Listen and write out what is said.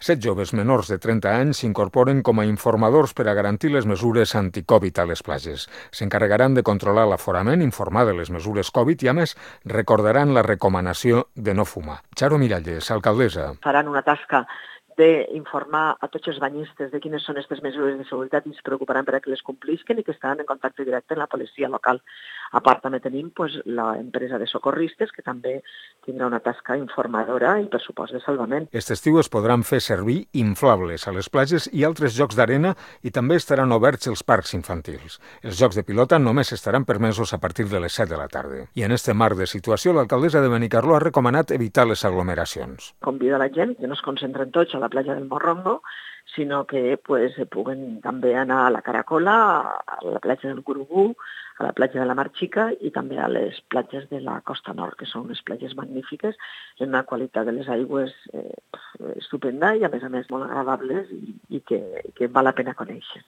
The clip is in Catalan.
7 joves menors de 30 anys s'incorporen com a informadors per a garantir les mesures anti-Covid a les platges. S'encarregaran de controlar l'aforament, informar de les mesures Covid i, a més, recordaran la recomanació de no fumar. Charo Miralles, alcaldessa. Faran una tasca d'informar a tots els banyistes de quines són aquestes mesures de seguretat i es preocuparan per a que les complisquen i que estaran en contacte directe amb la policia local. A part, també tenim l'empresa de socorristes, que també tindrà una tasca informadora i, per supost, de salvament. Aquest estiu es podran fer servir inflables a les platges i altres jocs d'arena i també estaran oberts els parcs infantils. Els jocs de pilota només estaran permesos a partir de les 7 de la tarda. I en este marc de situació, l'alcaldessa de Benicarló ha recomanat evitar les aglomeracions. Convida la gent que no es concentren tots a la platja del Morrongo, sinó que puguen també anar a la Caracola, a la platja del Curubú, a la platja de la Mar Xica i també a les platges de la Costa Nord, que són unes platges magnífiques, amb una qualitat de les aigües estupenda i a més molt agradables i que val la pena conèixer.